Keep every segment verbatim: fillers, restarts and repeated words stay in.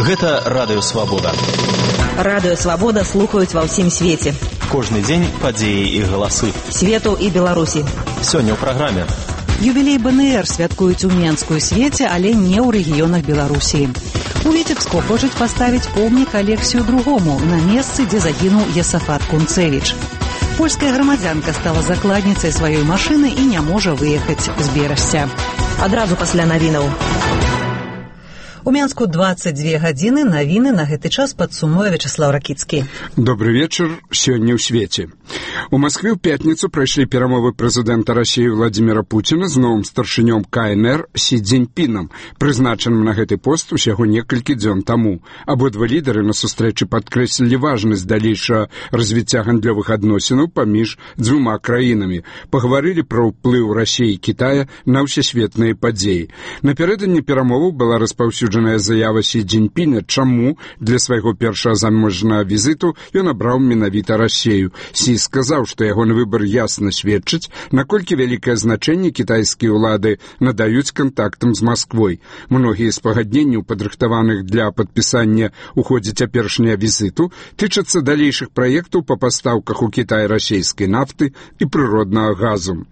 Гэта Радыё Свабода. Радыё Свабода слухаюць ва ўсім свеце. Кожны дзень падзеі і галасы. Свету і Беларусі. Сёння ў праграме. Юбілей БНР святкуюць у Менскую свеце, але не ў рэгіёнах Беларусі. У Віцебску хочуць паставіць помнік Алексію другому на месцы, дзе загінуў Есафат Кунцевіч. Польская грамадзянка стала закладніцай сваёй машыны і не можа выехаць з Берасця. Адразу пасля навінаў. У Менску дваццаць дзве гадзіны, навіны на гэты час падсумуе Вячеслав Ракіцкі. Добрый вечар, сёння ў свеце. У Москве ў пятніцу прайшлі перамовы прэзідэнта Расіі Владзіміра Пуціна з новым старшынём КНР Сі Цзіньпінам, прызначаным на гэты пост усяго некалькі дзён таму. Абодва лідары на сустрэчы падкрэслілі важнасць далейшага развіцця гандлёвых адносінаў паміж дзвюма краінамі. Пагаварылі пра ўплыў Расіі і Кітая на ўсесветныя падзеі. Напярэдадні перамоваў была распаўсюджаная заява Сі Цзіньпіна, чаму для свайго першага заможнага візіту ён абраў менавіта Расію. Сі сказаў, што ягоны выбар ясна сведчыць, наколькі вялікае значэнне кітайскія ўлады надаюць кантактам з Масквой. Многія з пагадненняў, падрыхтаваных для падпісання ў ходзе цяперашняга візіту, тычацца далейшых праектаў па пастаўках у Кітай расійскай нафты і прыроднага газу.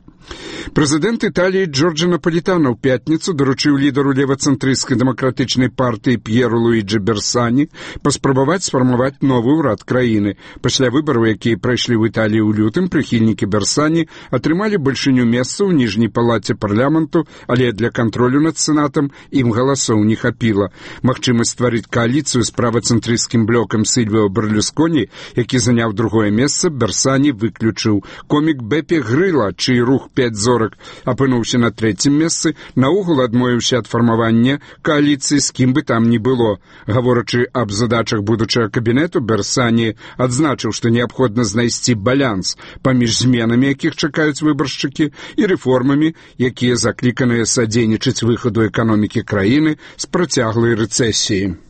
Прэзідэнт Італіі Джорджа Напалітана ў пятніцу даручыў лідару левацэнтрысцкай дэмакратычнай партыі П'еру Луіджі Берсані паспрабаваць сфармаваць новы ўрад краіны. Пасля выбараў, якія прайшлі ў Італіі ў лютым, прыхільнікі Берсані атрымалі бальшыню месцаў у ніжняй палаце парламенту, але для кантролю над сенатам ім галасоў не хапіла. Магчымасць стварыць кааліцыю з правацэнтрысцкім блокам Сільвіо Берлюсконі, які заняў другое месца, Берсані выключыў. Комік Бепе Грыла, чый рух пяць зорак апынуўся на трэцім месцы, наогул адмовіўся ад фармавання кааліцыі з кім бы там ні было. Гаворачы аб задачах будучага кабінету, Берсані адзначыў, што неабходна знайсці баланс паміж зменамі, якіх чакаюць выбаршчыкі, і рэформамі, якія закліканыя садзейнічаць выхаду эканомікі краіны з працяглай рэцэсіі.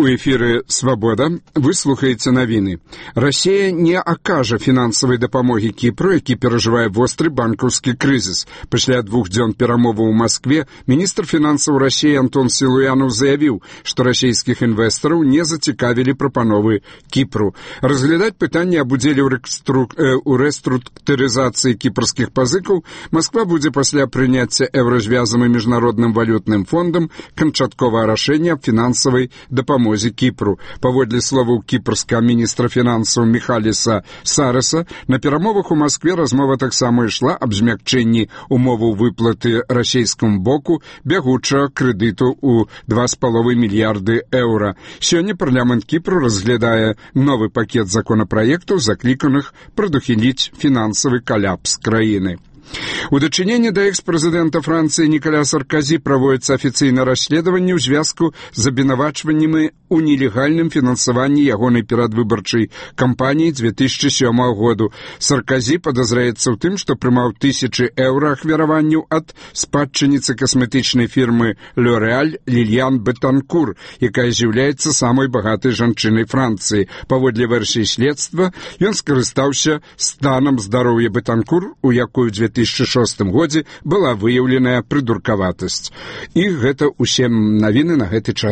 У эфіры «Свабода» вы слухаеце навіны. Расія не акажа фінансавай дапамогі Кіпру, які перажывае востры банкаўскі крызіс. Пасля двух дзён перамоваў у Маскве міністр фінансаў Расіі Антон Сілуянаў заявіў, што расійскіх інвестараў не зацікавілі прапановы Кіпру. Разглядаць пытанне аб удзеле ў рэструктурызацыі кіпрскіх пазыкаў Масква будзе пасля прыняцця еўразвязам і міжнародным валютным фондам канчатковае рашэнне аб фінансавай дапамогі Кіпру. Паводле словаў кіпрскага міністра фінансаў Міхаліса Сареса, на перамовах у Маскве размова таксама ішла аб змякчэнні умоваў выплаты расійскаму боку бягучага крэдыту ў два з паловай мільярды еўра. Сёння парламент Кіпру разглядае новы пакет законапраектаў, закліканых прадухіліць фінансавы каляпс краіны. У дачыненні да экс-прэзідэнта Францыі Нікаля Сарказі праводзіцца афіцыйнае расследаванне ў звязку з абвінавачваннямі ў нелегальным фінансаванні ягонай перадвыбарчай кампаніі дзве тысячы сёмага году. Сарказі падазраецца ў тым, што прымаў тысячы еўра ахвяраванняў ад спадчыніцы касметычнай фірмы L'Oréal Лільян Бетанкур, якая з'яўляецца самай багатай жанчынай Францыі. Паводле версіі следства, ён скарыстаўся станам здароўя Бетанкур, у якой у дзве тысячы шостым годзе была выяўленая прыдуркаватасць. І гэта ўсе навіны на гэты час.